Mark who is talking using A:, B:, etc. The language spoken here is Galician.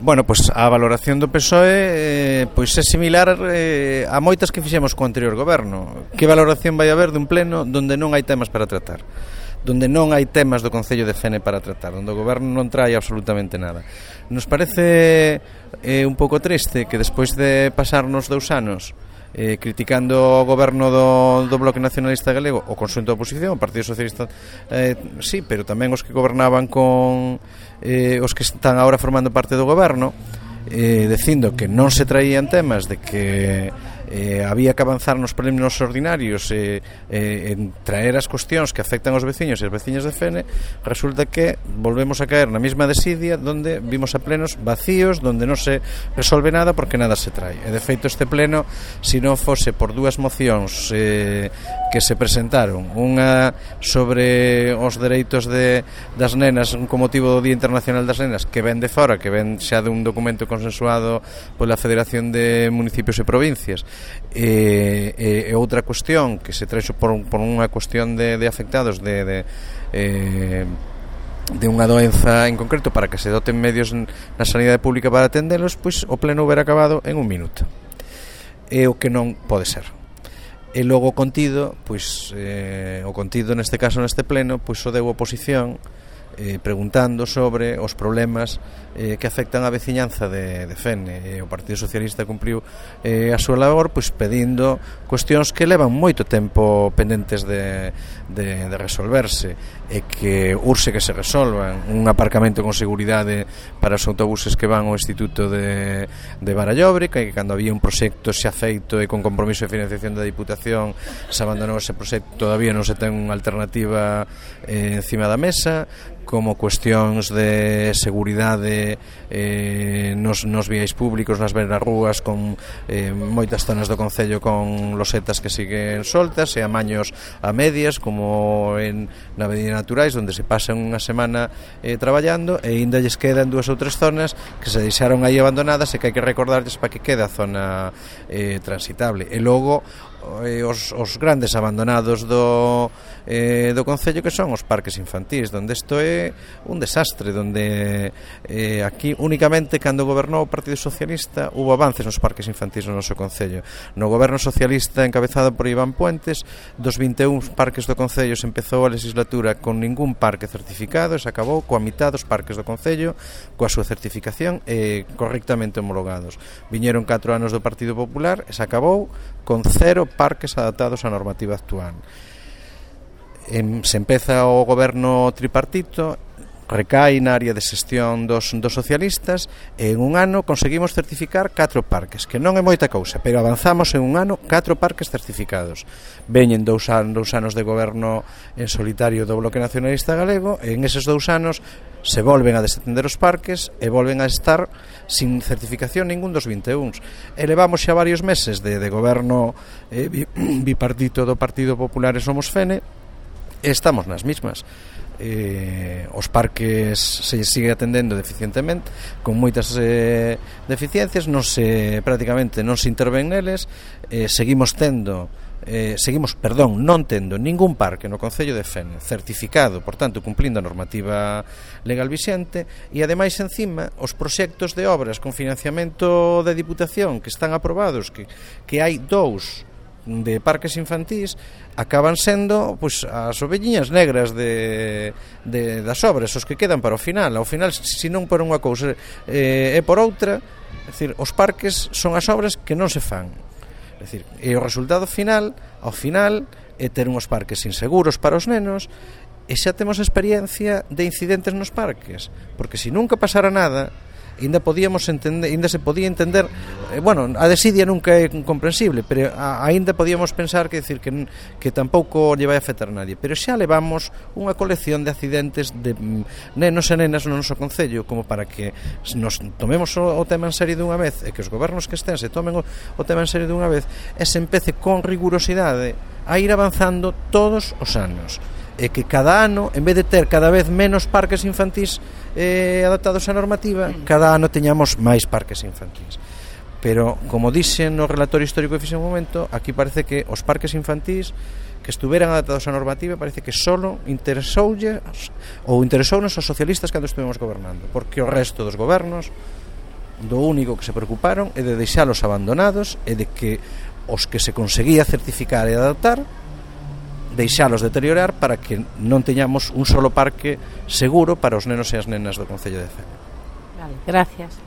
A: Bueno, pois a valoración do PSOE pois é similar a moitas que fixemos co anterior goberno. Que valoración vai haber dun pleno donde non hai temas para tratar, donde non hai temas do Concello de Fene para tratar, onde o goberno non trae absolutamente nada? Nos parece un pouco triste que despois de pasarnos 2 anos criticando o goberno do Bloque Nacionalista Galego, o conxunto da oposición, o Partido Socialista sí, pero tamén os que gobernaban con os que están agora formando parte do goberno, dicindo que non se traían temas, de que había que avanzar nos plenos ordinarios en traer as cuestións que afectan aos veciños e as veciñas de Fene. Resulta que volvemos a caer na mesma desidia, donde vimos a plenos vacíos, donde non se resolve nada porque nada se trae. E de feito este pleno, se non fose por 2 mocións que se presentaron, unha sobre os dereitos das nenas con motivo do Día Internacional das Nenas, que ven de fora, que ven xa dun documento consensuado pola Federación de Municipios e Provincias, e outra cuestión que se trae por unha cuestión de afectados de unha doenza en concreto, para que se doten medios na sanidade pública para atendelos, pois o pleno hubiera acabado en 1 minuto. É o que non pode ser. E logo o contido, pois o contido neste caso neste pleno, pois o deu oposición preguntando sobre os problemas que afectan a veciñanza de Fene. O Partido Socialista cumpriu a súa labor, pois pedindo cuestións que levan moito tempo pendentes de resolverse, e que urxe que se resolvan. Un aparcamento con seguridade para os autobuses que van ao Instituto de Barallobre, que cando había un proxecto xa feito e con compromiso de financiación da Diputación se abandonou ese proxecto, todavía non se ten unha alternativa encima da mesa, como cuestións de seguridade nos viais públicos, nas beiras rúas, con moitas zonas do Concello con losetas que siguen soltas e amaños a medias, como na Avenida Naturais, onde se pasan unha semana traballando, e ainda lles quedan 2 ou 3 zonas que se deixaron aí abandonadas e que hai que recordarles para que quede a zona transitable. E logo os grandes abandonados do Concello, que son os parques infantís, donde isto é un desastre, donde aquí únicamente cando gobernou o Partido Socialista hubo avances nos parques infantís no noso Concello. No goberno socialista encabezado por Iván Puentes, dos 21 parques do Concello se empezou a legislatura con ningún parque certificado, e se acabou coa mitad dos parques do Concello coa súa certificación correctamente homologados. Viñeron 4 anos do Partido Popular e se acabou con 0 parques adaptados á normativa actual. Se empeza o goberno tripartito, recai na área de xestión dos socialistas, e en un ano conseguimos certificar 4 parques, que non é moita cousa, pero avanzamos en un ano 4 parques certificados. Veñen 2 anos de goberno en solitario do Bloque Nacionalista Galego, e en eses 2 anos se volven a desatender os parques e volven a estar sin certificación ningún dos 21. E levamos xa varios meses de goberno bipartito do Partido Popular e Somos Fene, e estamos nas mismas. Os parques se sigue atendendo deficientemente, con moitas deficiencias, prácticamente non se interven neles. Seguimos non tendo ningún parque no Concello de Fene certificado, por tanto cumplindo a normativa legal vixente, e ademais encima os proxectos de obras con financiamento de Diputación que están aprobados, que hai 2 de parques infantís, acaban sendo pois as ovelliñas negras das obras, os que quedan para o final. Ao final, se non por unha cousa é por outra, é dicir, os parques son as obras que non se fan. É dicir, e o resultado final, ao final, é ter uns parques inseguros para os nenos, e xa temos experiencia de incidentes nos parques, porque se nunca pasara nada, ainda se podía entender, a desidia nunca é comprensible, pero ainda podíamos pensar que tampouco lle vai afectar a nadie. Pero xa levamos unha colección de accidentes de nenos e nenas no noso Concello, como para que nos tomemos o tema en serio dunha vez, e que os gobernos que estén se tomen o tema en serio dunha vez, e se empece con rigurosidade a ir avanzando todos os anos, e que cada ano, en vez de ter cada vez menos parques infantís adaptados á normativa, cada ano teñamos máis parques infantís. Pero, como dixen no relatorio histórico que fixe un momento, aquí parece que os parques infantís que estuveran adaptados á normativa parece que solo interesounos aos socialistas cando estuvemos gobernando, porque o resto dos gobernos do único que se preocuparon é de deixalos abandonados e de que os que se conseguía certificar e adaptar deixalos deteriorar para que non teñamos un solo parque seguro para os nenos e as nenas do Concello de Fene.
B: Vale, gracias.